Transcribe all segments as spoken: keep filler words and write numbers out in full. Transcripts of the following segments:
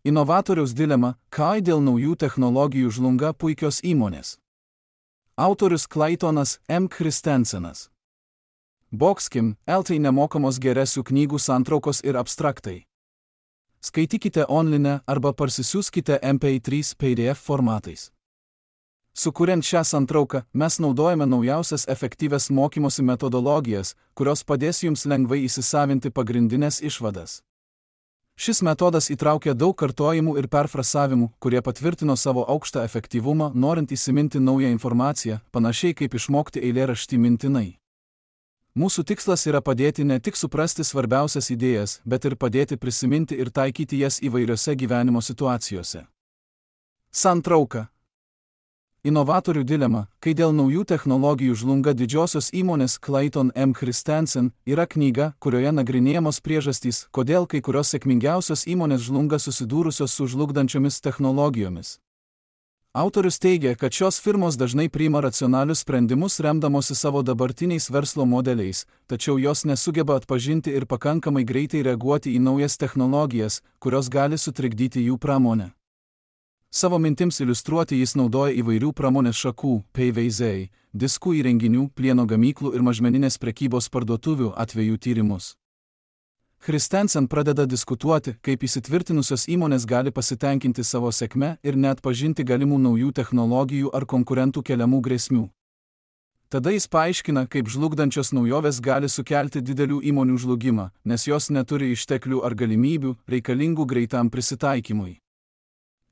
Inovatoriaus dilema, kai dėl naujų technologijų žlunga puikios įmonės. Autorius Claytonas M. Christensenas. Boxkim, eltai nemokamos geresių knygų santraukos ir abstraktai. Skaitykite online arba parsisiųskite M P trys P D F formatais. Sukuriant šią santrauką, mes naudojame naujausias efektyvias mokymosi metodologijas, kurios padės jums lengvai įsisavinti pagrindinės išvadas. Šis metodas įtraukia daug kartojimų ir perfrasavimų, kurie patvirtino savo aukštą efektyvumą, norint įsiminti naują informaciją, panašiai kaip išmokti eilėraštį mintinai. Mūsų tikslas yra padėti ne tik suprasti svarbiausias idėjas, bet ir padėti prisiminti ir taikyti jas įvairiose gyvenimo situacijose. Santrauka. Inovatorių dilema, kai dėl naujų technologijų žlunga didžiosios įmonės Clayton M. Christensen, yra knyga, kurioje nagrinėjamos priežastys, kodėl kai kurios sėkmingiausios įmonės žlunga susidūrusios su žlugdančiomis technologijomis. Autorius teigia, kad šios firmos dažnai priima racionalius sprendimus remdamosi savo dabartiniais verslo modeliais, tačiau jos nesugeba atpažinti ir pakankamai greitai reaguoti į naujas technologijas, kurios gali sutrikdyti jų pramonę. Savo mintims iliustruoti jis naudoja įvairių pramonės šakų, P V Z, diskų įrenginių, plieno gamyklų ir mažmeninės prekybos parduotuvių atvejų tyrimus. Christensen pradeda diskutuoti, kaip įsitvirtinusios įmonės gali pasitenkinti savo sėkme ir neatpažinti galimų naujų technologijų ar konkurentų keliamų grėsmių. Tada jis paaiškina, kaip žlugdančios naujovės gali sukelti didelių įmonių žlugimą, nes jos neturi išteklių ar galimybių, reikalingų greitam prisitaikymui.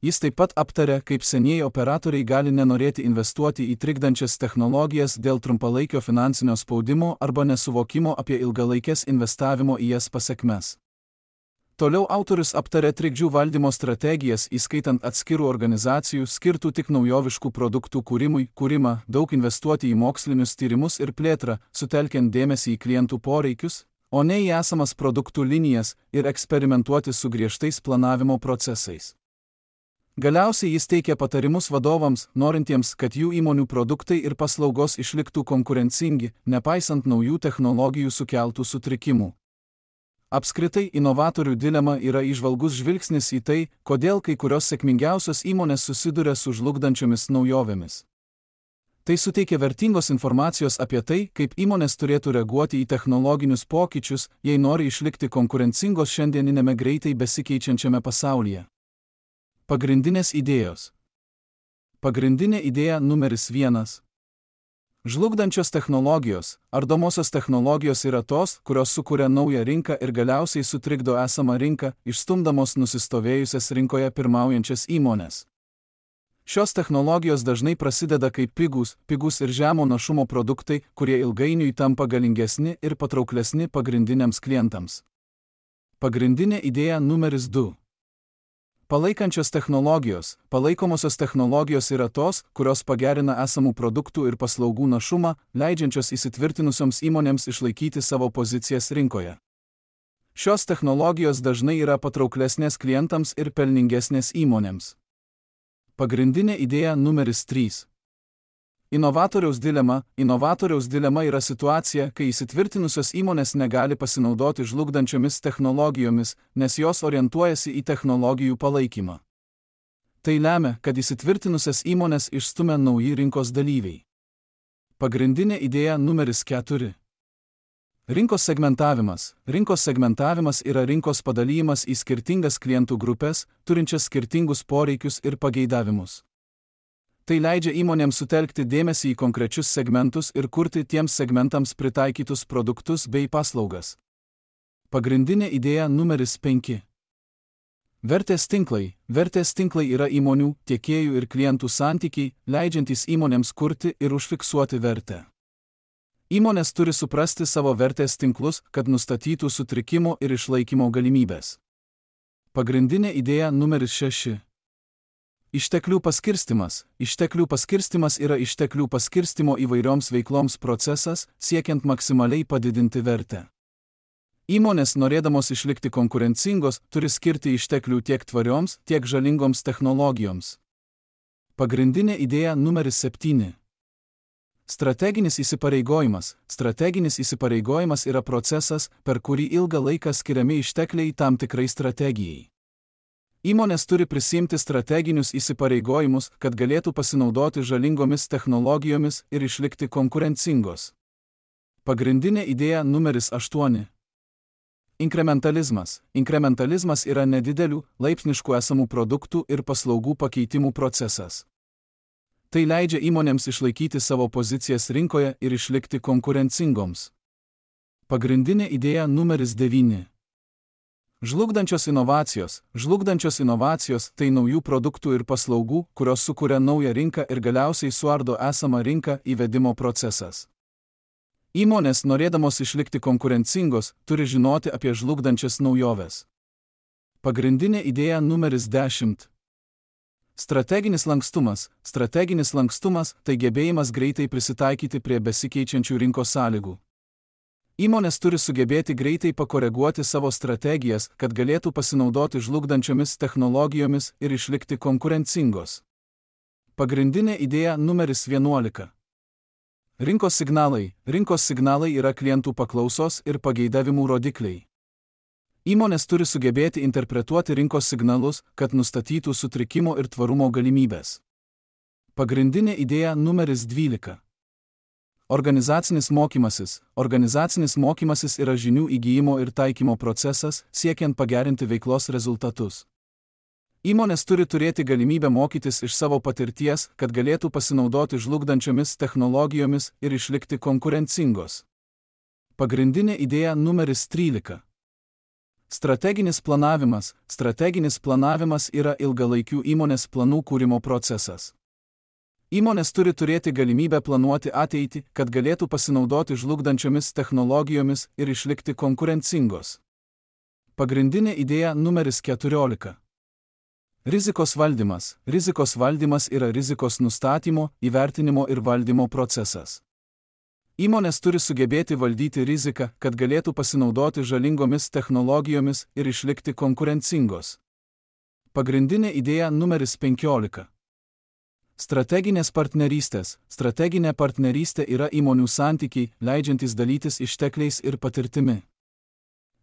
Jis taip pat aptarė, kaip senieji operatoriai gali nenorėti investuoti į trikdančias technologijas dėl trumpalaikio finansinio spaudimo arba nesuvokimo apie ilgalaikės investavimo į jas pasekmes. Toliau autorius aptarė trikdžių valdymo strategijas, įskaitant atskirų organizacijų skirtų tik naujoviškų produktų kūrimui, kūrimą, daug investuoti į mokslinius tyrimus ir plėtrą, sutelkiant dėmesį į klientų poreikius, o ne į esamas produktų linijas ir eksperimentuoti su griežtais planavimo procesais. Galiausiai jis teikia patarimus vadovams, norintiems, kad jų įmonių produktai ir paslaugos išliktų konkurencingi, nepaisant naujų technologijų sukeltų sutrikimų. Apskritai, inovatorių dilema yra įžvalgus žvilgsnis į tai, kodėl kai kurios sėkmingiausios įmonės susiduria su žlugdančiomis naujovėmis. Tai suteikia vertingos informacijos apie tai, kaip įmonės turėtų reaguoti į technologinius pokyčius, jei nori išlikti konkurencingos šiandieninėme greitai besikeičiančiame pasaulyje. Pagrindinės idėjos. Pagrindinė idėja numeris vienas. Žlugdančios technologijos, ardomosios technologijos yra tos, kurios sukuria naują rinką ir galiausiai sutrikdo esamą rinką, išstumdamos nusistovėjusias rinkoje pirmaujančias įmones. Šios technologijos dažnai prasideda kaip pigus, pigus ir žemo našumo produktai, kurie ilgainiui tampa galingesni ir patrauklesni pagrindiniams klientams. Pagrindinė idėja numeris du. Palaikančios technologijos. Palaikomosios technologijos yra tos, kurios pagerina esamų produktų ir paslaugų našumą, leidžiančios įsitvirtinusioms įmonėms išlaikyti savo pozicijas rinkoje. Šios technologijos dažnai yra patrauklesnės klientams ir pelningesnės įmonėms. Pagrindinė idėja numeris trys. Inovatoriaus dilema. Inovatoriaus dilema yra situacija, kai įsitvirtinusios įmonės negali pasinaudoti žlugdančiomis technologijomis, nes jos orientuojasi į technologijų palaikymą. Tai lemia, kad įsitvirtinusias įmonės išstumia nauji rinkos dalyviai. Pagrindinė idėja numeris keturi. Rinkos segmentavimas. Rinkos segmentavimas yra rinkos padalyjimas į skirtingas klientų grupės, turinčias skirtingus poreikius ir pageidavimus. Tai leidžia įmonėms sutelkti dėmesį į konkrečius segmentus ir kurti tiems segmentams pritaikytus produktus bei paslaugas. Pagrindinė idėja numeris penki. Vertės tinklai. Vertės tinklai yra įmonių, tiekėjų ir klientų santykiai, leidžiantys įmonėms kurti ir užfiksuoti vertę. Įmonės turi suprasti savo vertės tinklus, kad nustatytų sutrikimo ir išlaikymo galimybės. Pagrindinė idėja numeris šeši. Išteklių paskirstimas. Išteklių paskirstimas yra išteklių paskirstimo įvairioms veikloms procesas, siekiant maksimaliai padidinti vertę. Įmonės, norėdamos išlikti konkurencingos, turi skirti išteklių tiek tvarioms, tiek žalingoms technologijoms. Pagrindinė idėja numeris septyni. Strateginis įsipareigojimas. Strateginis įsipareigojimas yra procesas, per kurį ilgą laiką skiriami ištekliai tam tikrai strategijai. Įmonės turi prisimti strateginius įsipareigojimus, kad galėtų pasinaudoti žalingomis technologijomis ir išlikti konkurencingos. Pagrindinė idėja numeris aštuoni. Inkrementalizmas. Inkrementalizmas yra nedidelių, laipsniškų esamų produktų ir paslaugų pakeitimų procesas. Tai leidžia įmonėms išlaikyti savo pozicijas rinkoje ir išlikti konkurencingoms. Pagrindinė idėja numeris devyni. Žlugdančios inovacijos. Žlugdančios inovacijos tai naujų produktų ir paslaugų, kurios sukuria naują rinką ir galiausiai suardo esamą rinką įvedimo procesas. Įmonės, norėdamos išlikti konkurencingos, turi žinoti apie žlugdančias naujoves. Pagrindinė idėja numeris dešimt. Strateginis lankstumas. Strateginis lankstumas tai gebėjimas greitai prisitaikyti prie besikeičiančių rinkos sąlygų. Įmonės turi sugebėti greitai pakoreguoti savo strategijas, kad galėtų pasinaudoti žlugdančiomis technologijomis ir išlikti konkurencingos. Pagrindinė idėja numeris vienuolika. Rinkos signalai. Rinkos signalai yra klientų paklausos ir pageidavimų rodikliai. Įmonės turi sugebėti interpretuoti rinkos signalus, kad nustatytų sutrikimo ir tvarumo galimybės. Pagrindinė idėja numeris dvylika. Organizacinis mokymasis. Organizacinis mokymasis yra žinių įgyjimo ir taikymo procesas, siekiant pagerinti veiklos rezultatus. Įmonės turi turėti galimybę mokytis iš savo patirties, kad galėtų pasinaudoti žlugdančiomis technologijomis ir išlikti konkurencingos. Pagrindinė idėja numeris trylika. Strateginis planavimas. Strateginis planavimas yra ilgalaikių įmonės planų kūrimo procesas. Įmonės turi turėti galimybę planuoti ateitį, kad galėtų pasinaudoti žlugdančiomis technologijomis ir išlikti konkurencingos. Pagrindinė idėja numeris keturiolika. Rizikos valdymas. Rizikos valdymas yra rizikos nustatymo, įvertinimo ir valdymo procesas. Įmonės turi sugebėti valdyti riziką, kad galėtų pasinaudoti žalingomis technologijomis ir išlikti konkurencingos. Pagrindinė idėja numeris penkiolika. Strateginės partnerystės. Strateginė partnerystė yra įmonių santykiai, leidžiantys dalytis ištekliais ir patirtimi.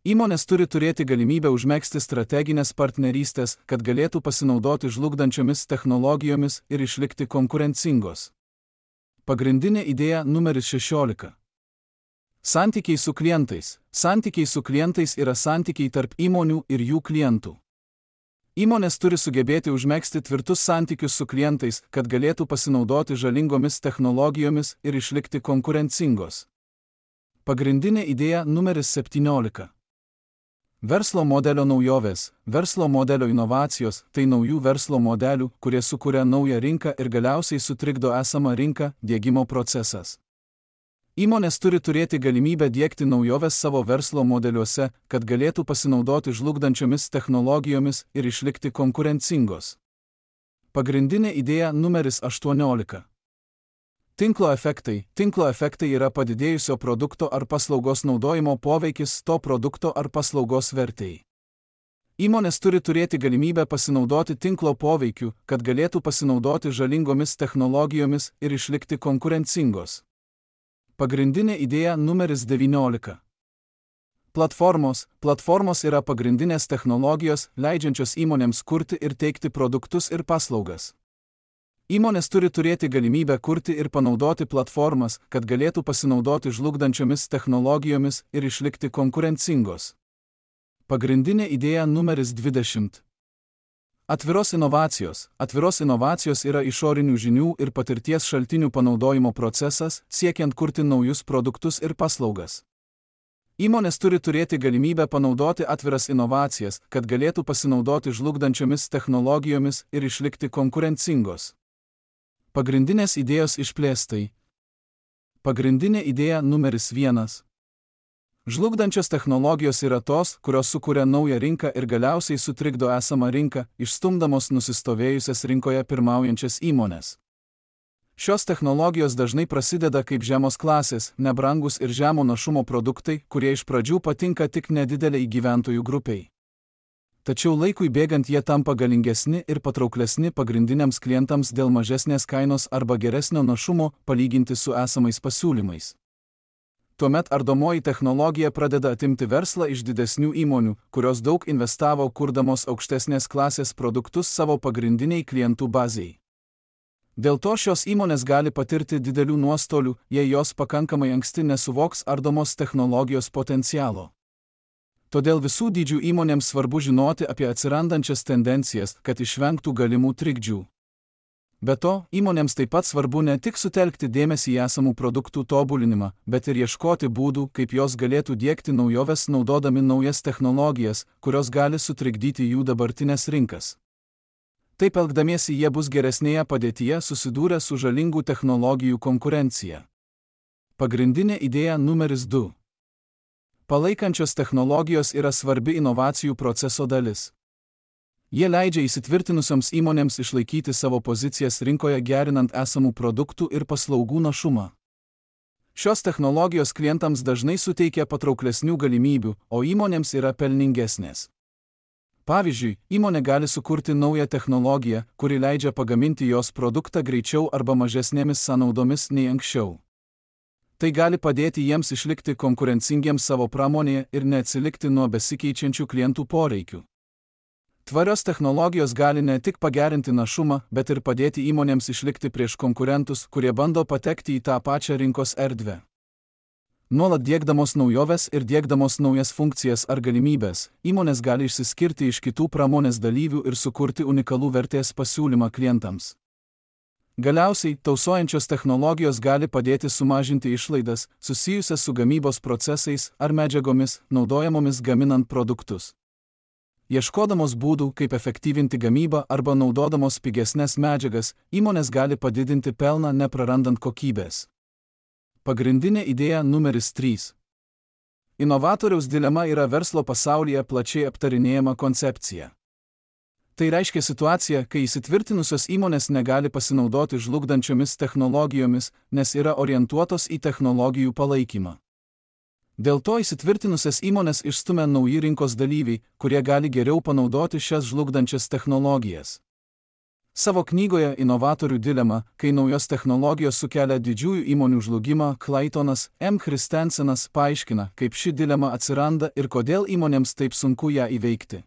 Įmonės turi turėti galimybę užmegzti strateginės partnerystės, kad galėtų pasinaudoti žlugdančiomis technologijomis ir išlikti konkurencingos. Pagrindinė idėja numeris šešiolika. Santykiai su klientais. Santykiai su klientais yra santykiai tarp įmonių ir jų klientų. Įmonės turi sugebėti užmegzti tvirtus santykius su klientais, kad galėtų pasinaudoti žalingomis technologijomis ir išlikti konkurencingos. Pagrindinė idėja numeris septyniolika. Verslo modelio naujovės. Verslo modelio inovacijos tai naujų verslo modelių, kurie sukuria naują rinką ir galiausiai sutrikdo esamą rinką, diegimo procesas. Įmonės turi turėti galimybę diegti naujoves savo verslo modeliuose, kad galėtų pasinaudoti žlugdančiomis technologijomis ir išlikti konkurencingos. Pagrindinė idėja numeris aštuoniolika. Tinklo efektai. Tinklo efektai yra padidėjusio produkto ar paslaugos naudojimo poveikis to produkto ar paslaugos vertei. Įmonės turi turėti galimybę pasinaudoti tinklo poveikiu, kad galėtų pasinaudoti žalingomis technologijomis ir išlikti konkurencingos. Pagrindinė idėja numeris devyniolika. Platformos. Platformos yra pagrindinės technologijos, leidžiančios įmonėms kurti ir teikti produktus ir paslaugas. Įmonės turi turėti galimybę kurti ir panaudoti platformas, kad galėtų pasinaudoti žlugdančiomis technologijomis ir išlikti konkurencingos. Pagrindinė idėja numeris dvidešimt. Atviros inovacijos. Atviros inovacijos yra išorinių žinių ir patirties šaltinių panaudojimo procesas, siekiant kurti naujus produktus ir paslaugas. Įmonės turi turėti galimybę panaudoti atviras inovacijas, kad galėtų pasinaudoti žlugdančiomis technologijomis ir išlikti konkurencingos. Pagrindinės idėjos išplėstai. Pagrindinė idėja numeris vienas. Žlugdančios technologijos yra tos, kurios sukuria naują rinką ir galiausiai sutrikdo esamą rinką, išstumdamos nusistovėjusias rinkoje pirmaujančias įmones. Šios technologijos dažnai prasideda kaip žemos klasės, nebrangus ir žemo našumo produktai, kurie iš pradžių patinka tik nedideliai gyventojų grupiai. Tačiau laikui bėgant jie tampa galingesni ir patrauklesni pagrindiniams klientams dėl mažesnės kainos arba geresnio našumo palyginti su esamais pasiūlymais. Tuomet ardomoji technologija pradeda atimti verslą iš didesnių įmonių, kurios daug investavo kurdamos aukštesnės klasės produktus savo pagrindiniai klientų bazei. Dėl to šios įmonės gali patirti didelių nuostolių, jei jos pakankamai anksti nesuvoks ardomos technologijos potencialo. Todėl visų dydžių įmonėms svarbu žinoti apie atsirandančias tendencijas, kad išvengtų galimų trikdžių. Be to, įmonėms taip pat svarbu ne tik sutelkti dėmesį į esamų produktų tobulinimą, bet ir ieškoti būdų, kaip jos galėtų diegti naujoves naudodami naujas technologijas, kurios gali sutrikdyti jų dabartinės rinkas. Taip elgdamiesi jie bus geresnėje padėtyje susidūrę su žalingų technologijų konkurencija. Pagrindinė idėja numeris du. Palaikančios technologijos yra svarbi inovacijų proceso dalis. Jie leidžia įsitvirtinusioms įmonėms išlaikyti savo pozicijas rinkoje gerinant esamų produktų ir paslaugų našumą. Šios technologijos klientams dažnai suteikia patrauklesnių galimybių, o įmonėms yra pelningesnės. Pavyzdžiui, įmonė gali sukurti naują technologiją, kuri leidžia pagaminti jos produktą greičiau arba mažesnėmis sąnaudomis nei anksčiau. Tai gali padėti jiems išlikti konkurencingiems savo pramonėje ir neatsilikti nuo besikeičiančių klientų poreikių. Tvarios technologijos gali ne tik pagerinti našumą, bet ir padėti įmonėms išlikti prieš konkurentus, kurie bando patekti į tą pačią rinkos erdvę. Nuolat diegdamos naujoves ir diegdamos naujas funkcijas ar galimybės, įmonės gali išsiskirti iš kitų pramonės dalyvių ir sukurti unikalų vertės pasiūlymą klientams. Galiausiai, tausojančios technologijos gali padėti sumažinti išlaidas, susijusias su gamybos procesais ar medžiagomis, naudojamomis gaminant produktus. Ieškodamos būdų, kaip efektyvinti gamybą arba naudodamos pigesnes medžiagas, įmonės gali padidinti pelną neprarandant kokybės. Pagrindinė idėja numeris trys. Inovatoriaus dilema yra verslo pasaulyje plačiai aptarinėjama koncepcija. Tai reiškia situaciją, kai įsitvirtinusios įmonės negali pasinaudoti žlugdančiomis technologijomis, nes yra orientuotos į technologijų palaikymą. Dėl to įsitvirtinusias įmonės išstumia nauji rinkos dalyviai, kurie gali geriau panaudoti šias žlugdančias technologijas. Savo knygoje Inovatorių dilema, kai naujos technologijos sukelia didžiųjų įmonių žlugimą, Claytonas M. Christensenas paaiškina, kaip ši dilema atsiranda ir kodėl įmonėms taip sunku ją įveikti.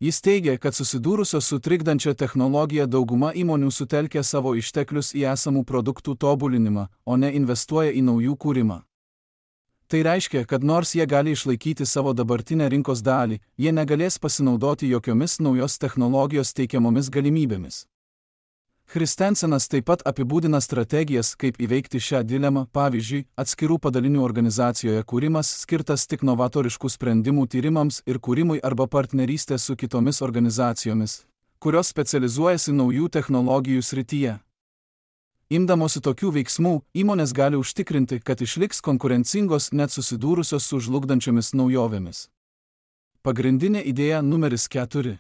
Jis teigia, kad susidūrusios su trikdančia technologija dauguma įmonių sutelkia savo išteklius į esamų produktų tobulinimą, o ne investuoja į naujų kūrimą. Tai reiškia, kad nors jie gali išlaikyti savo dabartinę rinkos dalį, jie negalės pasinaudoti jokiomis naujos technologijos teikiamomis galimybėmis. Christensenas taip pat apibūdina strategijas, kaip įveikti šią dilemą, pavyzdžiui, atskirų padalinių organizacijoje kūrimas skirtas tik novatoriškų sprendimų tyrimams ir kūrimui arba partnerystė su kitomis organizacijomis, kurios specializuojasi naujų technologijų srityje. Imdamosi tokių veiksmų, įmonės gali užtikrinti, kad išliks konkurencingos net susidūrusios su žlugdančiomis naujovėmis. Pagrindinė idėja numeris keturi.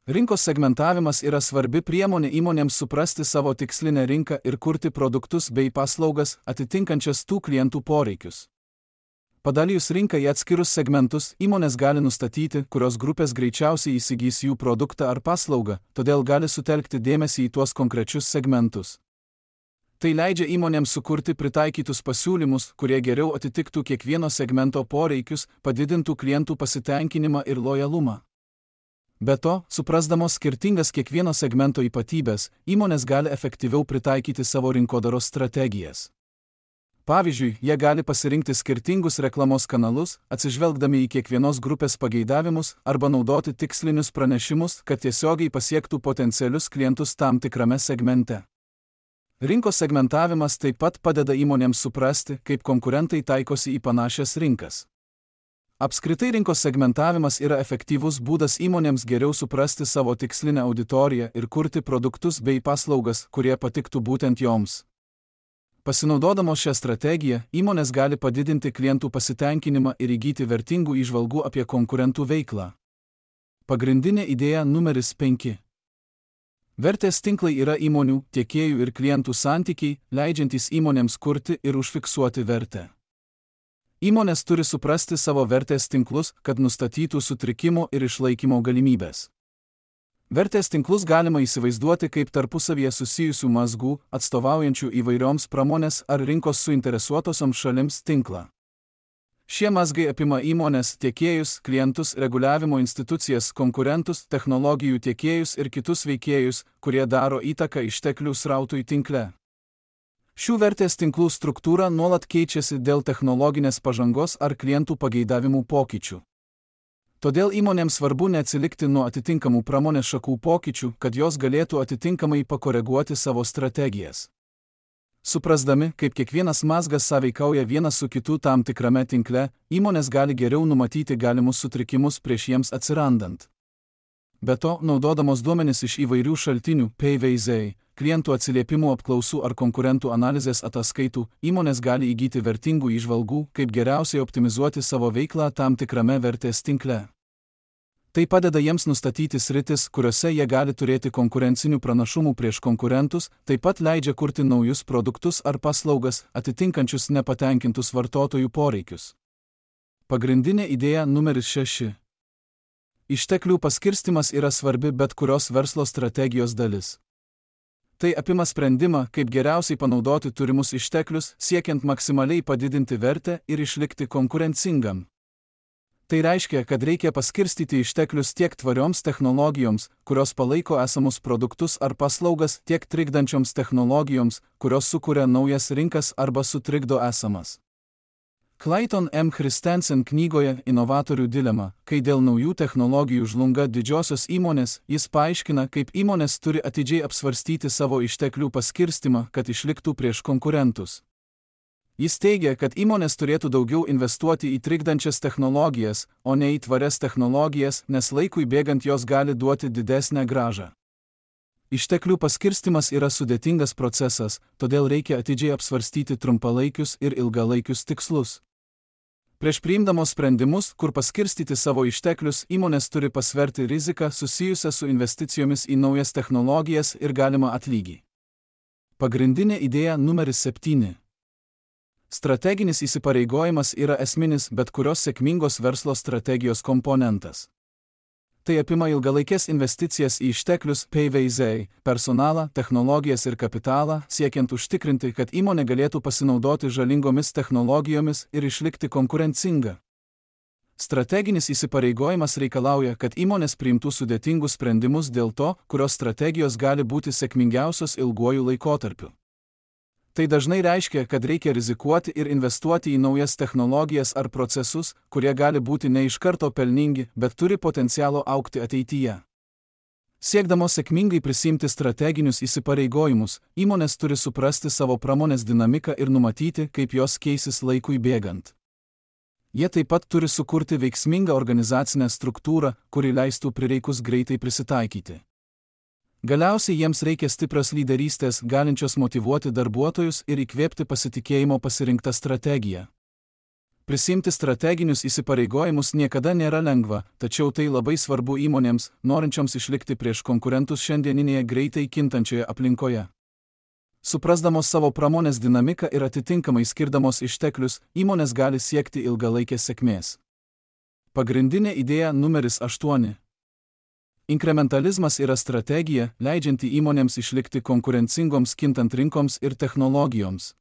Rinkos segmentavimas yra svarbi priemonė įmonėms suprasti savo tikslinę rinką ir kurti produktus bei paslaugas, atitinkančias tų klientų poreikius. Padalijus rinką į atskirus segmentus, įmonės gali nustatyti, kurios grupės greičiausiai įsigys jų produktą ar paslaugą, todėl gali sutelkti dėmesį į tuos konkrečius segmentus. Tai leidžia įmonėms sukurti pritaikytus pasiūlymus, kurie geriau atitiktų kiekvieno segmento poreikius, padidintų klientų pasitenkinimą ir lojalumą. Be to, suprasdamos skirtingas kiekvieno segmento ypatybės, įmonės gali efektyviau pritaikyti savo rinkodaros strategijas. Pavyzdžiui, jie gali pasirinkti skirtingus reklamos kanalus, atsižvelgdami į kiekvienos grupės pageidavimus arba naudoti tikslinius pranešimus, kad tiesiogiai pasiektų potencialius klientus tam tikrame segmente. Rinkos segmentavimas taip pat padeda įmonėms suprasti, kaip konkurentai taikosi į panašias rinkas. Apskritai rinkos segmentavimas yra efektyvus būdas įmonėms geriau suprasti savo tikslinę auditoriją ir kurti produktus bei paslaugas, kurie patiktų būtent joms. Pasinaudodamos šią strategiją, įmonės gali padidinti klientų pasitenkinimą ir įgyti vertingų įžvalgų apie konkurentų veiklą. Pagrindinė idėja numeris penki. Vertės tinklai yra įmonių, tiekėjų ir klientų santykiai, leidžiantys įmonėms kurti ir užfiksuoti vertę. Įmonės turi suprasti savo vertės tinklus, kad nustatytų sutrikimo ir išlaikymo galimybės. Vertės tinklus galima įsivaizduoti kaip tarpusavyje susijusių mazgų, atstovaujančių įvairioms pramonės ar rinkos suinteresuotosioms šalims tinklą. Šie mazgai apima įmonės, tiekėjus, klientus, reguliavimo institucijas, konkurentus, technologijų tiekėjus ir kitus veikėjus, kurie daro įtaką išteklių srautui tinkle. Šių vertės tinklų struktūra nuolat keičiasi dėl technologinės pažangos ar klientų pageidavimų pokyčių. Todėl įmonėms svarbu neatsilikti nuo atitinkamų pramonės šakų pokyčių, kad jos galėtų atitinkamai pakoreguoti savo strategijas. Suprasdami, kaip kiekvienas mazgas sąveikauja vienas su kitu tam tikrame tinkle, įmonės gali geriau numatyti galimus sutrikimus prieš jiems atsirandant. Be to, naudodamos duomenis iš įvairių šaltinių, P V Z, klientų atsiliepimų apklausų ar konkurentų analizės ataskaitų, įmonės gali įgyti vertingų įžvalgų, kaip geriausiai optimizuoti savo veiklą tam tikrame vertės tinkle. Tai padeda jiems nustatyti sritis, kuriuose jie gali turėti konkurencinių pranašumų prieš konkurentus, taip pat leidžia kurti naujus produktus ar paslaugas, atitinkančius nepatenkintus vartotojų poreikius. Pagrindinė idėja numeris šeši. Išteklių paskirstimas yra svarbi bet kurios verslo strategijos dalis. Tai apima sprendimą, kaip geriausiai panaudoti turimus išteklius, siekiant maksimaliai padidinti vertę ir išlikti konkurencingam. Tai reiškia, kad reikia paskirstyti išteklius tiek tvarioms technologijoms, kurios palaiko esamus produktus ar paslaugas, tiek trikdančioms technologijoms, kurios sukuria naujas rinkas arba sutrikdo esamas. Clayton M. Christensen knygoje Inovatorių dilema, kai dėl naujų technologijų žlunga didžiosios įmonės, jis paaiškina, kaip įmonės turi atidžiai apsvarstyti savo išteklių paskirstimą, kad išliktų prieš konkurentus. Jis teigia, kad įmonės turėtų daugiau investuoti į trikdančias technologijas, o ne į tvarias technologijas, nes laikui bėgant jos gali duoti didesnę grąžą. Išteklių paskirstimas yra sudėtingas procesas, todėl reikia atidžiai apsvarstyti trumpalaikius ir ilgalaikius tikslus. Prieš priimdamos sprendimus, kur paskirstyti savo išteklius, įmonės turi pasverti riziką susijusią su investicijomis į naujas technologijas ir galimą atlygį. Pagrindinė idėja numeris septyni. Strateginis įsipareigojimas yra esminis bet kurios sėkmingos verslo strategijos komponentas. Tai apima ilgalaikės investicijas į išteklius P V Z, personalą, technologijas ir kapitalą, siekiant užtikrinti, kad įmonė galėtų pasinaudoti žalingomis technologijomis ir išlikti konkurencinga. Strateginis įsipareigojimas reikalauja, kad įmonės priimtų sudėtingus sprendimus dėl to, kurios strategijos gali būti sėkmingiausios ilguoju laikotarpiu. Tai dažnai reiškia, kad reikia rizikuoti ir investuoti į naujas technologijas ar procesus, kurie gali būti ne iš karto pelningi, bet turi potencialo augti ateityje. Siekdamos sėkmingai prisimti strateginius įsipareigojimus, įmonės turi suprasti savo pramonės dinamiką ir numatyti, kaip jos keisis laikui bėgant. Jie taip pat turi sukurti veiksmingą organizacinę struktūrą, kuri leistų prireikus greitai prisitaikyti. Galiausiai jiems reikia stiprios lyderystės, galinčios motyvuoti darbuotojus ir įkvėpti pasitikėjimo pasirinktą strategiją. Prisimti strateginius įsipareigojimus niekada nėra lengva, tačiau tai labai svarbu įmonėms, norinčioms išlikti prieš konkurentus šiandieninėje greitai kintančioje aplinkoje. Suprasdamos savo pramonės dinamiką ir atitinkamai skirdamos išteklius, įmonės gali siekti ilgalaikės sėkmės. Pagrindinė idėja numeris aštuoni. Inkrementalizmas yra strategija, leidžianti įmonėms išlikti konkurencingoms kintant rinkoms ir technologijoms.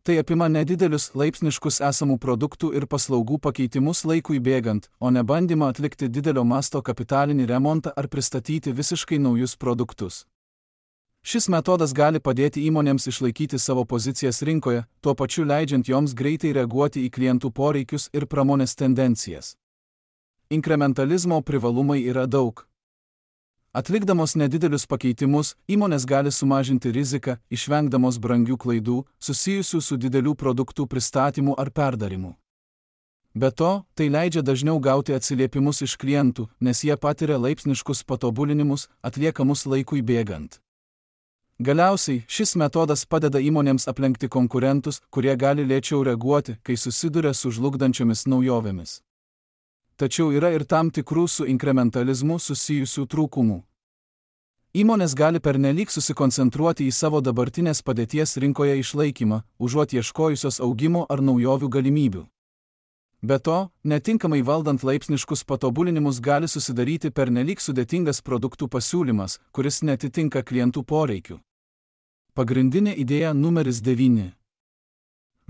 Tai apima nedidelius laipsniškus esamų produktų ir paslaugų pakeitimus laikui bėgant, o ne bandymą atlikti didelio masto kapitalinį remontą ar pristatyti visiškai naujus produktus. Šis metodas gali padėti įmonėms išlaikyti savo pozicijas rinkoje, tuo pačiu leidžiant joms greitai reaguoti į klientų poreikius ir pramonės tendencijas. Inkrementalizmo privalumai yra daug. Atlikdamos nedidelius pakeitimus, įmonės gali sumažinti riziką, išvengdamos brangių klaidų, susijusių su didelių produktų pristatymu ar perdarimu. Be to, tai leidžia dažniau gauti atsiliepimus iš klientų, nes jie patiria laipsniškus patobulinimus, atliekamus laikui bėgant. Galiausiai, šis metodas padeda įmonėms aplenkti konkurentus, kurie gali lėčiau reaguoti, kai susiduria su žlugdančiomis naujovėmis. Tačiau yra ir tam tikrų su inkrementalizmu susijusių trūkumų. Įmonės gali pernelyg susikoncentruoti į savo dabartinės padėties rinkoje išlaikymą, užuot ieškojusios augimo ar naujovių galimybių. Be to, netinkamai valdant laipsniškus patobulinimus gali susidaryti pernelyg sudėtingas produktų pasiūlymas, kuris netitinka klientų poreikių. Pagrindinė idėja numeris devyni.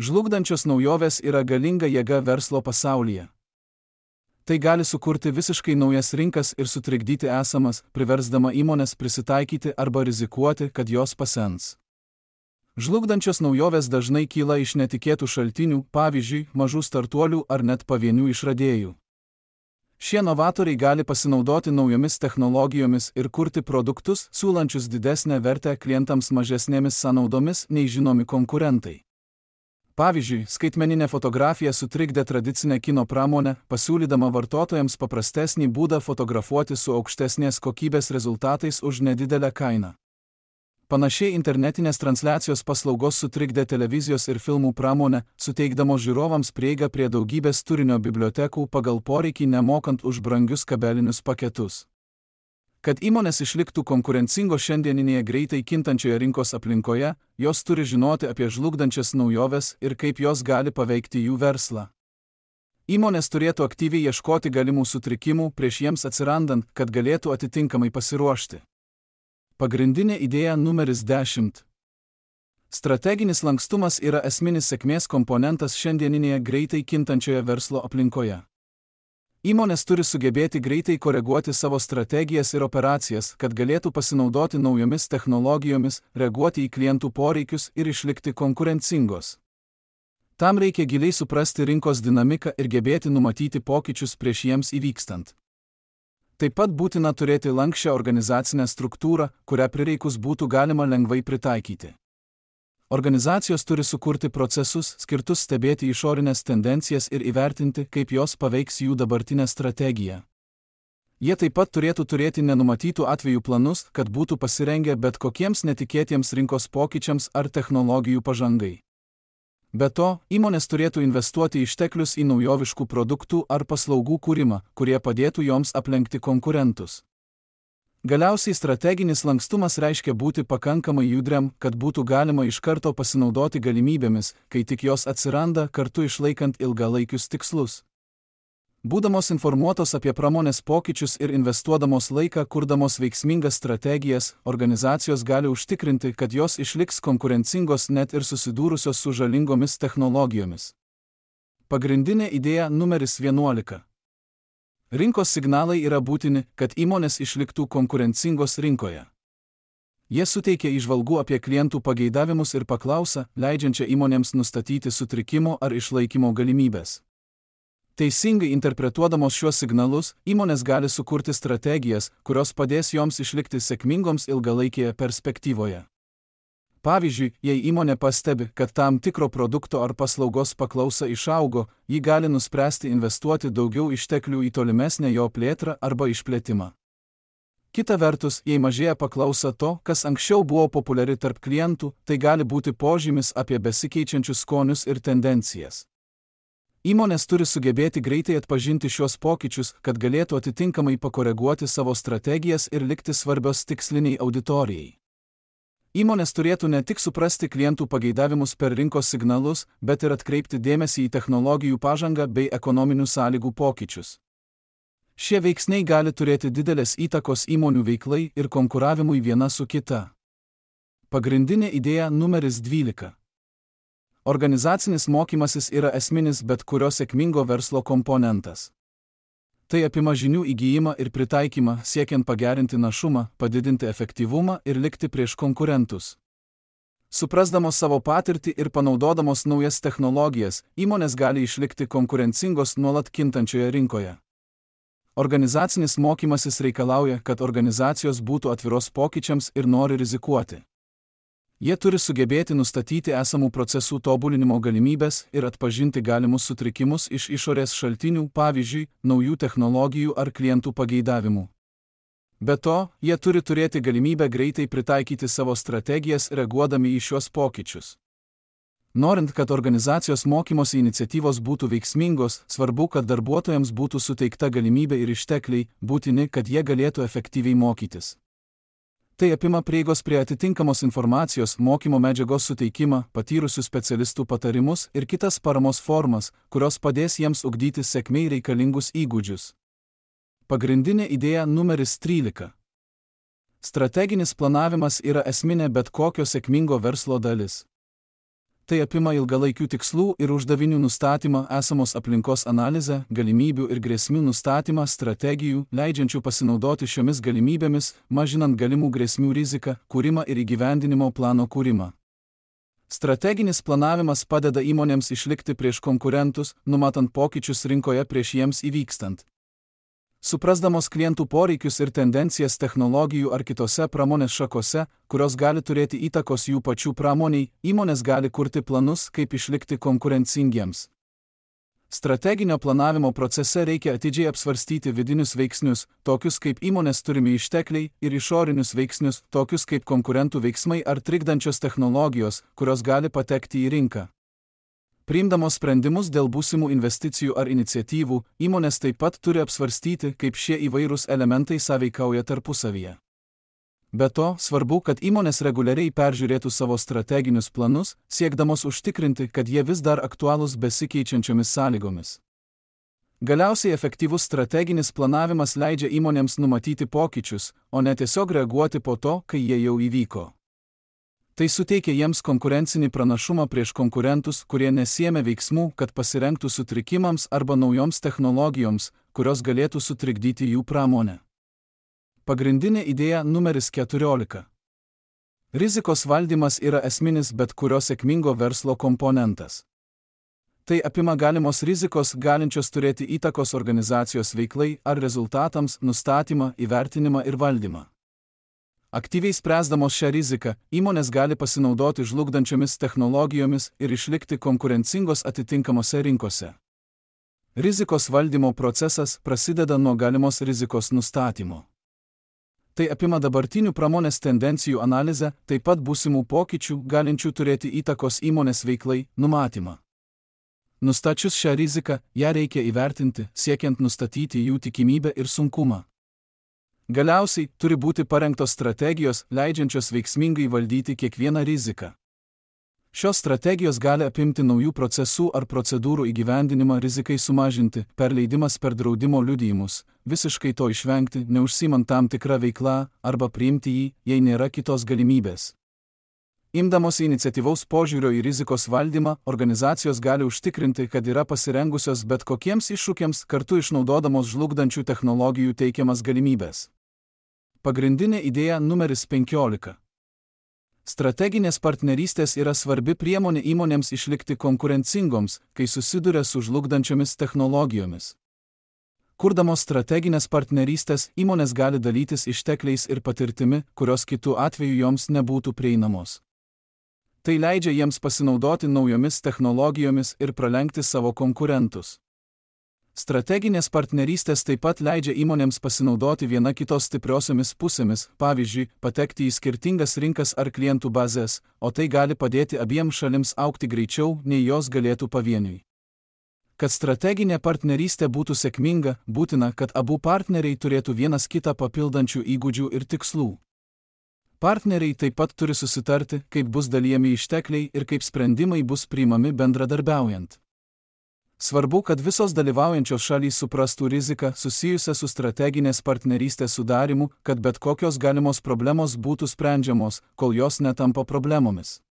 Žlugdančios naujovės yra galinga jėga verslo pasaulyje. Tai gali sukurti visiškai naujas rinkas ir sutrikdyti esamas, priversdama įmonės prisitaikyti arba rizikuoti, kad jos pasens. Žlugdančios naujovės dažnai kyla iš netikėtų šaltinių, pavyzdžiui, mažų startuolių ar net pavienių išradėjų. Šie novatoriai gali pasinaudoti naujomis technologijomis ir kurti produktus, siūlančius didesnę vertę klientams mažesnėmis sąnaudomis nei žinomi konkurentai. Pavyzdžiui, skaitmeninė fotografija sutrikdė tradicinę kino pramonę, pasiūlydama vartotojams paprastesnį būdą fotografuoti su aukštesnės kokybės rezultatais už nedidelę kainą. Panašiai internetinės transliacijos paslaugos sutrikdė televizijos ir filmų pramonę, suteikdamos žiūrovams prieigą prie daugybės turinio bibliotekų pagal poreikį nemokant už brangius kabelinius paketus. Kad įmonės išliktų konkurencingos šiandieninėje greitai kintančioje rinkos aplinkoje, jos turi žinoti apie žlugdančias naujoves ir kaip jos gali paveikti jų verslą. Įmonės turėtų aktyviai ieškoti galimų sutrikimų prieš jiems atsirandant, kad galėtų atitinkamai pasiruošti. Pagrindinė idėja numeris dešimt. Strateginis lankstumas yra esminis sėkmės komponentas šiandieninėje greitai kintančioje verslo aplinkoje. Įmonės turi sugebėti greitai koreguoti savo strategijas ir operacijas, kad galėtų pasinaudoti naujomis technologijomis, reaguoti į klientų poreikius ir išlikti konkurencingos. Tam reikia giliai suprasti rinkos dinamiką ir gebėti numatyti pokyčius prieš jiems įvykstant. Taip pat būtina turėti lanksčią organizacinę struktūrą, kurią prireikus būtų galima lengvai pritaikyti. Organizacijos turi sukurti procesus, skirtus stebėti išorinės tendencijas ir įvertinti, kaip jos paveiks jų dabartinę strategiją. Jie taip pat turėtų turėti nenumatytų atvejų planus, kad būtų pasirengę bet kokiems netikėtiems rinkos pokyčiams ar technologijų pažangai. Be to, įmonės turėtų investuoti išteklius į naujoviškų produktų ar paslaugų kūrimą, kurie padėtų joms aplenkti konkurentus. Galiausiai strateginis lankstumas reiškia būti pakankamai judriam, kad būtų galima iš karto pasinaudoti galimybėmis, kai tik jos atsiranda, kartu išlaikant ilgalaikius tikslus. Būdamos informuotos apie pramonės pokyčius ir investuodamos laiką kurdamos veiksmingas strategijas, organizacijos gali užtikrinti, kad jos išliks konkurencingos net ir susidūrusios su žalingomis technologijomis. Pagrindinė idėja numeris vienuolika. Rinkos signalai yra būtini, kad įmonės išliktų konkurencingos rinkoje. Jie suteikia įžvalgų apie klientų pageidavimus ir paklausą, leidžiančią įmonėms nustatyti sutrikimo ar išlaikymo galimybės. Teisingai interpretuodamos šiuos signalus, įmonės gali sukurti strategijas, kurios padės joms išlikti sėkmingoms ilgalaikėje perspektyvoje. Pavyzdžiui, jei įmonė pastebi, kad tam tikro produkto ar paslaugos paklausa išaugo, ji gali nuspręsti investuoti daugiau išteklių į tolimesnę jo plėtrą arba išplėtimą. Kita vertus, jei mažėja paklausa to, kas anksčiau buvo populiari tarp klientų, tai gali būti požymis apie besikeičiančius skonius ir tendencijas. Įmonės turi sugebėti greitai atpažinti šios pokyčius, kad galėtų atitinkamai pakoreguoti savo strategijas ir likti svarbios tiksliniai auditorijai. Įmonės turėtų ne tik suprasti klientų pageidavimus per rinkos signalus, bet ir atkreipti dėmesį į technologijų pažangą bei ekonominių sąlygų pokyčius. Šie veiksniai gali turėti didelės įtakos įmonių veiklai ir konkuravimui viena su kita. Pagrindinė idėja numeris dvylika. Organizacinis mokymasis yra esminis bet kurio sėkmingo verslo komponentas. Tai apima žinių įgijimą ir pritaikymą, siekiant pagerinti našumą, padidinti efektyvumą ir likti prieš konkurentus. Suprasdamos savo patirtį ir panaudodamos naujas technologijas, įmonės gali išlikti konkurencingos nuolat kintančioje rinkoje. Organizacinis mokymasis reikalauja, kad organizacijos būtų atviros pokyčiams ir nori rizikuoti. Jie turi sugebėti nustatyti esamų procesų tobulinimo galimybės ir atpažinti galimus sutrikimus iš išorės šaltinių, pavyzdžiui, naujų technologijų ar klientų pageidavimų. Be to, jie turi turėti galimybę greitai pritaikyti savo strategijas reaguodami į šios pokyčius. Norint, kad organizacijos mokymosi iniciatyvos būtų veiksmingos, svarbu, kad darbuotojams būtų suteikta galimybė ir ištekliai, būtini, kad jie galėtų efektyviai mokytis. Tai apima prieigos prie atitinkamos informacijos, mokymo medžiagos suteikimą, patyrusių specialistų patarimus ir kitas paramos formas, kurios padės jiems ugdyti sėkmei reikalingus įgūdžius. Pagrindinė idėja numeris trylika. Strateginis planavimas yra esminė bet kokio sėkmingo verslo dalis. Tai apima ilgalaikių tikslų ir uždavinių nustatymą, esamos aplinkos analizę, galimybių ir grėsmių nustatymą, strategijų, leidžiančių pasinaudoti šiomis galimybėmis, mažinant galimų grėsmių riziką, kūrimą ir įgyvendinimo plano kūrimą. Strateginis planavimas padeda įmonėms išlikti prieš konkurentus, numatant pokyčius rinkoje prieš jiems įvykstant. Suprasdamos klientų poreikius ir tendencijas technologijų ar kitose pramonės šakose, kurios gali turėti įtakos jų pačių pramoniai, įmonės gali kurti planus, kaip išlikti konkurencingiems. Strateginio planavimo procese reikia atidžiai apsvarstyti vidinius veiksnius, tokius kaip įmonės turimi ištekliai, ir išorinius veiksnius, tokius kaip konkurentų veiksmai ar trikdančios technologijos, kurios gali patekti į rinką. Priimdamos sprendimus dėl būsimų investicijų ar iniciatyvų, įmonės taip pat turi apsvarstyti, kaip šie įvairūs elementai sąveikauja tarpusavyje. Be to, svarbu, kad įmonės reguliariai peržiūrėtų savo strateginius planus, siekdamos užtikrinti, kad jie vis dar aktualūs besikeičiančiomis sąlygomis. Galiausiai efektyvus strateginis planavimas leidžia įmonėms numatyti pokyčius, o ne tiesiog reaguoti po to, kai jie jau įvyko. Tai suteikia jiems konkurencinį pranašumą prieš konkurentus, kurie nesiėmė veiksmų, kad pasirengtų sutrikimams arba naujoms technologijoms, kurios galėtų sutrikdyti jų pramonę. Pagrindinė idėja numeris keturiolika. Rizikos valdymas yra esminis bet kurio sėkmingo verslo komponentas. Tai apima galimos rizikos, galinčios turėti įtakos organizacijos veiklai ar rezultatams, nustatymą, įvertinimą ir valdymą. Aktyviai spręsdamos šią riziką, įmonės gali pasinaudoti žlugdančiomis technologijomis ir išlikti konkurencingos atitinkamose rinkose. Rizikos valdymo procesas prasideda nuo galimos rizikos nustatymo. Tai apima dabartinių pramonės tendencijų analizę, taip pat būsimų pokyčių, galinčių turėti įtakos įmonės veiklai, numatymą. Nustačius šią riziką, ją reikia įvertinti, siekiant nustatyti jų tikimybę ir sunkumą. Galiausiai, turi būti parengtos strategijos, leidžiančios veiksmingai valdyti kiekvieną riziką. Šios strategijos gali apimti naujų procesų ar procedūrų įgyvendinimą rizikai sumažinti, perleidimas per draudimo liudijimus, visiškai to išvengti, neužsiimant tam tikrą veiklą, arba priimti jį, jei nėra kitos galimybės. Imdamosi iniciatyvaus požiūrio į rizikos valdymą, organizacijos gali užtikrinti, kad yra pasirengusios bet kokiems iššūkiams, kartu išnaudodamos žlugdančių technologijų teikiamas galimybės. Pagrindinė idėja numeris penkiolika. Strateginės partnerystės yra svarbi priemonė įmonėms išlikti konkurencingoms, kai susiduria su žlugdančiomis technologijomis. Kurdamos strateginės partnerystės, įmonės gali dalytis ištekliais ir patirtimi, kurios kitų atveju joms nebūtų prieinamos. Tai leidžia jiems pasinaudoti naujomis technologijomis ir pralenkti savo konkurentus. Strateginės partnerystės taip pat leidžia įmonėms pasinaudoti viena kitos stipriosiomis pusėmis, pavyzdžiui, patekti į skirtingas rinkas ar klientų bazės, o tai gali padėti abiems šalims augti greičiau, nei jos galėtų pavieniui. Kad strateginė partnerystė būtų sėkminga, būtina, kad abu partneriai turėtų vienas kitą papildančių įgūdžių ir tikslų. Partneriai taip pat turi susitarti, kaip bus dalijami ištekliai ir kaip sprendimai bus priimami bendradarbiaujant. Svarbu, kad visos dalyvaujančios šalys suprastų riziką susijusią su strateginės partnerystės sudarimu, kad bet kokios galimos problemos būtų sprendžiamos, kol jos netampa problemomis.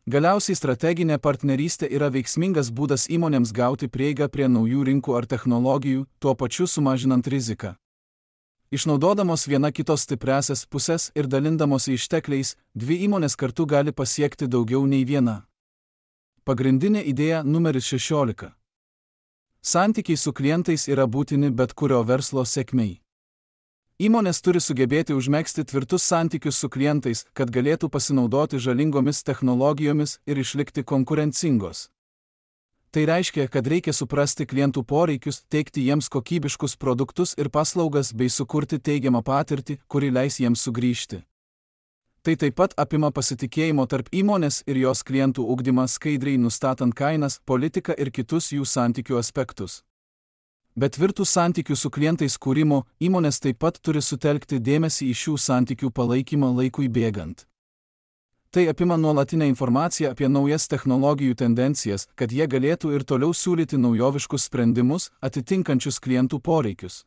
Galiausiai strateginė partnerystė yra veiksmingas būdas įmonėms gauti prieigą prie naujų rinkų ar technologijų, tuo pačiu sumažinant riziką. Išnaudodamos viena kitos stipriąsias pusės ir dalindamosi ištekliais, dvi įmonės kartu gali pasiekti daugiau nei viena. Pagrindinė idėja numeris šešiolika. Santykiai su klientais yra būtini bet kurio verslo sėkmei. Įmonės turi sugebėti užmegzti tvirtus santykius su klientais, kad galėtų pasinaudoti žalingomis technologijomis ir išlikti konkurencingos. Tai reiškia, kad reikia suprasti klientų poreikius, teikti jiems kokybiškus produktus ir paslaugas bei sukurti teigiamą patirtį, kuri leis jiems sugrįžti. Tai taip pat apima pasitikėjimo tarp įmonės ir jos klientų ugdymą, skaidriai nustatant kainas, politiką ir kitus jų santykių aspektus. Be tvirtų santykių su klientais kūrimo, įmonės taip pat turi sutelkti dėmesį į šių santykių palaikymą laikui bėgant. Tai apima nuolatinę informaciją apie naujas technologijų tendencijas, kad jie galėtų ir toliau siūlyti naujoviškus sprendimus, atitinkančius klientų poreikius.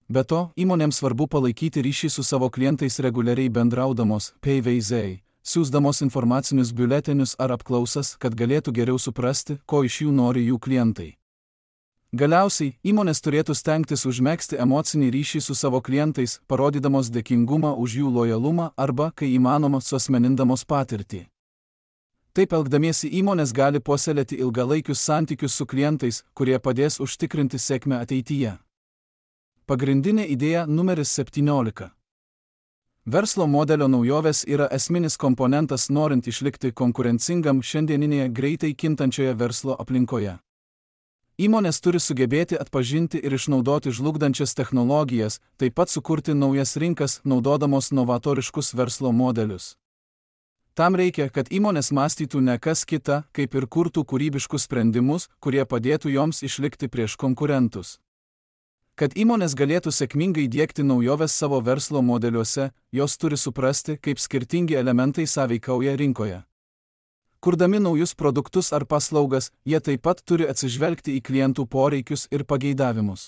Be to, įmonėms svarbu palaikyti ryšį su savo klientais reguliariai bendraudamos, P V Z, siųsdamos informacinius biuletenius ar apklausas, kad galėtų geriau suprasti, ko iš jų nori jų klientai. Galiausiai, įmonės turėtų stengtis užmegzti emocinį ryšį su savo klientais, parodydamos dėkingumą už jų lojalumą arba, kai įmanoma, suasmenindamos patirtį. Taip elgdamiesi įmonės gali puoselėti ilgalaikius santykius su klientais, kurie padės užtikrinti sėkmę ateityje. Pagrindinė idėja numeris septyniolika. Verslo modelio naujovės yra esminis komponentas norint išlikti konkurencingam šiandieninėje greitai kintančioje verslo aplinkoje. Įmonės turi sugebėti atpažinti ir išnaudoti žlugdančias technologijas, taip pat sukurti naujas rinkas, naudodamos novatoriškus verslo modelius. Tam reikia, kad įmonės mąstytų ne kas kita, kaip ir kurtų kūrybiškus sprendimus, kurie padėtų joms išlikti prieš konkurentus. Kad įmonės galėtų sėkmingai diegti naujoves savo verslo modeliuose, jos turi suprasti, kaip skirtingi elementai sąveikauja rinkoje. Kurdami naujus produktus ar paslaugas, jie taip pat turi atsižvelgti į klientų poreikius ir pageidavimus.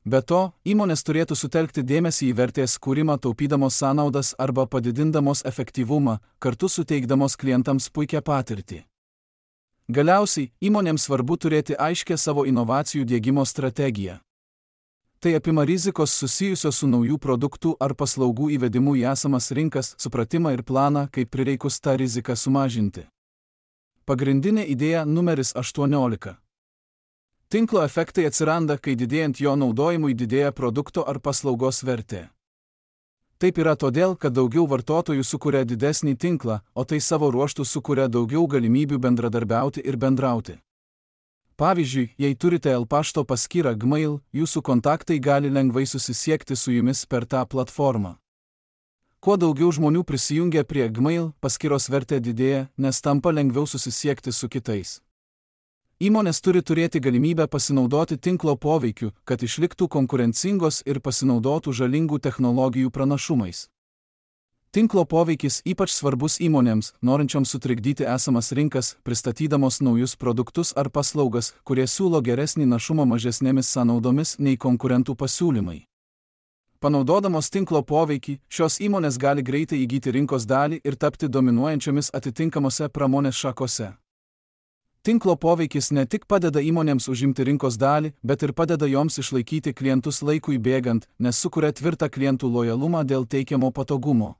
Be to, įmonės turėtų sutelkti dėmesį į vertės kūrimą taupydamos sąnaudas arba padidindamos efektyvumą, kartu suteikdamos klientams puikią patirtį. Galiausiai, įmonėms svarbu turėti aiškę savo inovacijų diegimo strategiją. Tai apima rizikos susijusios su naujų produktų ar paslaugų įvedimu į esamas rinkas, supratimą ir planą, kaip prireikus tą riziką sumažinti. Pagrindinė idėja numeris aštuoniolika. Tinklo efektai atsiranda, kai didėjant jo naudojimui didėja produkto ar paslaugos vertė. Taip yra todėl, kad daugiau vartotojų sukuria didesnį tinklą, o tai savo ruožtu sukuria daugiau galimybių bendradarbiauti ir bendrauti. Pavyzdžiui, jei turite L pašto paskyrą Gmail, jūsų kontaktai gali lengvai susisiekti su jumis per tą platformą. Kuo daugiau žmonių prisijungia prie Gmail, paskyros vertė didėja, nes tampa lengviau susisiekti su kitais. Įmonės turi turėti galimybę pasinaudoti tinklo poveikiu, kad išliktų konkurencingos ir pasinaudotų žalingų technologijų pranašumais. Tinklo poveikis ypač svarbus įmonėms, norinčioms sutrikdyti esamas rinkas, pristatydamos naujus produktus ar paslaugas, kurie siūlo geresnį našumą mažesnėmis sąnaudomis nei konkurentų pasiūlymai. Panaudodamos tinklo poveikį, šios įmonės gali greitai įgyti rinkos dalį ir tapti dominuojančiomis atitinkamose pramonės šakose. Tinklo poveikis ne tik padeda įmonėms užimti rinkos dalį, bet ir padeda joms išlaikyti klientus laikui bėgant, nes sukuria tvirtą klientų lojalumą dėl teikiamo patogumo.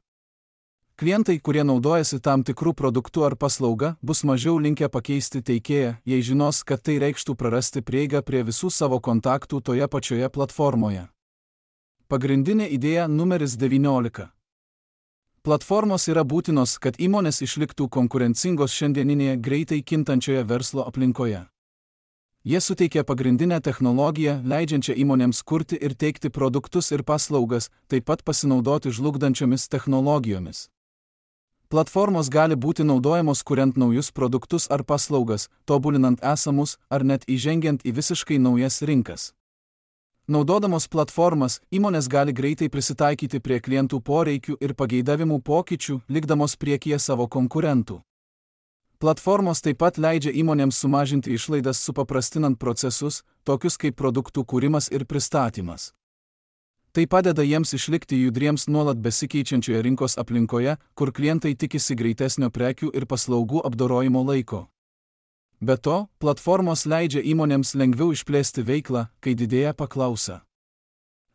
Klientai, kurie naudojasi tam tikrų produktų ar paslauga, bus mažiau linkę pakeisti teikėją, jei žinos, kad tai reikštų prarasti prieigą prie visų savo kontaktų toje pačioje platformoje. Pagrindinė idėja numeris devyniolika. Platformos yra būtinos, kad įmonės išliktų konkurencingos šiandieninėje greitai kintančioje verslo aplinkoje. Jie suteikia pagrindinę technologiją, leidžiančią įmonėms kurti ir teikti produktus ir paslaugas, taip pat pasinaudoti žlugdančiomis technologijomis. Platformos gali būti naudojamos kuriant naujus produktus ar paslaugas, tobulinant esamus ar net įžengiant į visiškai naujas rinkas. Naudodamos platformas, įmonės gali greitai prisitaikyti prie klientų poreikių ir pageidavimų pokyčių, likdamos priekyje savo konkurentų. Platformos taip pat leidžia įmonėms sumažinti išlaidas supaprastinant procesus, tokius kaip produktų kūrimas ir pristatymas. Tai padeda jiems išlikti judriems nuolat besikeičiančioje rinkos aplinkoje, kur klientai tikisi greitesnio prekių ir paslaugų apdorojimo laiko. Be to, platformos leidžia įmonėms lengviau išplėsti veiklą, kai didėja paklausa.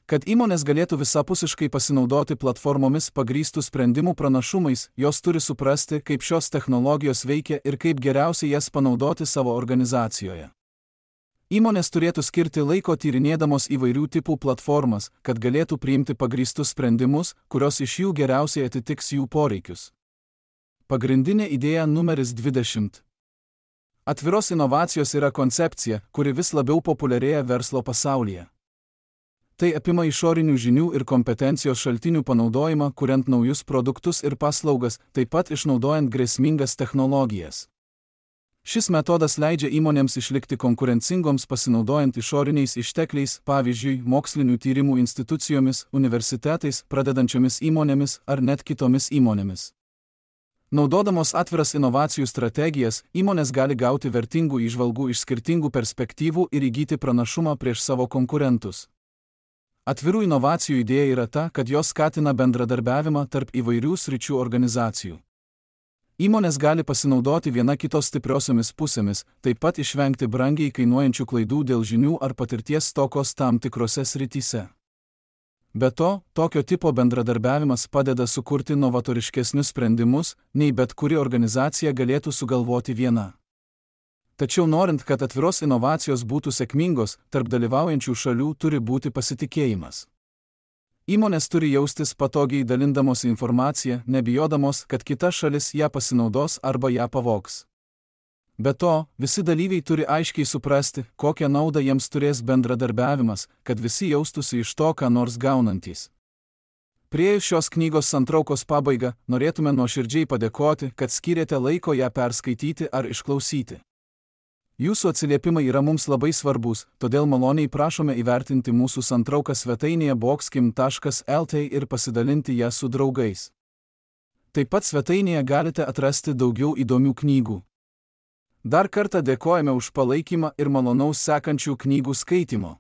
Kad įmonės galėtų visapusiškai pasinaudoti platformomis pagrįstų sprendimų pranašumais, jos turi suprasti, kaip šios technologijos veikia ir kaip geriausiai jas panaudoti savo organizacijoje. Įmonės turėtų skirti laiko tyrinėdamos įvairių tipų platformas, kad galėtų priimti pagrįstus sprendimus, kurios iš jų geriausiai atitiks jų poreikius. Pagrindinė idėja numeris dvidešimt. Atviros inovacijos yra koncepcija, kuri vis labiau populiarėja verslo pasaulyje. Tai apima išorinių žinių ir kompetencijos šaltinių panaudojimą, kuriant naujus produktus ir paslaugas, taip pat išnaudojant grėsmingas technologijas. Šis metodas leidžia įmonėms išlikti konkurencingoms pasinaudojant išoriniais ištekliais, pavyzdžiui, mokslinių tyrimų institucijomis, universitetais, pradedančiomis įmonėmis ar net kitomis įmonėmis. Naudodamos atviras inovacijų strategijas, įmonės gali gauti vertingų įžvalgų iš skirtingų perspektyvų ir įgyti pranašumą prieš savo konkurentus. Atvirų inovacijų idėja yra ta, kad jos skatina bendradarbiavimą tarp įvairių sričių organizacijų. Įmonės gali pasinaudoti viena kitos stipriosiomis pusėmis, taip pat išvengti brangiai kainuojančių klaidų dėl žinių ar patirties stokos tam tikrose srityse. Be to, tokio tipo bendradarbiavimas padeda sukurti novatoriškesnius sprendimus, nei bet kuri organizacija galėtų sugalvoti viena. Tačiau norint, kad atviros inovacijos būtų sėkmingos, tarp dalyvaujančių šalių turi būti pasitikėjimas. Įmonės turi jaustis patogiai dalindamos informaciją, nebijodamos, kad kita šalis ją pasinaudos arba ją pavogs. Be to, visi dalyviai turi aiškiai suprasti, kokią naudą jiems turės bendradarbiavimas, kad visi jaustųsi iš to, ką nors gaunantys. Priėjus šios knygos santraukos pabaigą, norėtume nuoširdžiai padėkoti, kad skyrėte laiko ją perskaityti ar išklausyti. Jūsų atsiliepimai yra mums labai svarbus, todėl maloniai prašome įvertinti mūsų santrauką svetainėje boxkim taškas el tė ir pasidalinti ją su draugais. Taip pat svetainėje galite atrasti daugiau įdomių knygų. Dar kartą dėkojame už palaikymą ir malonaus sekančių knygų skaitimo.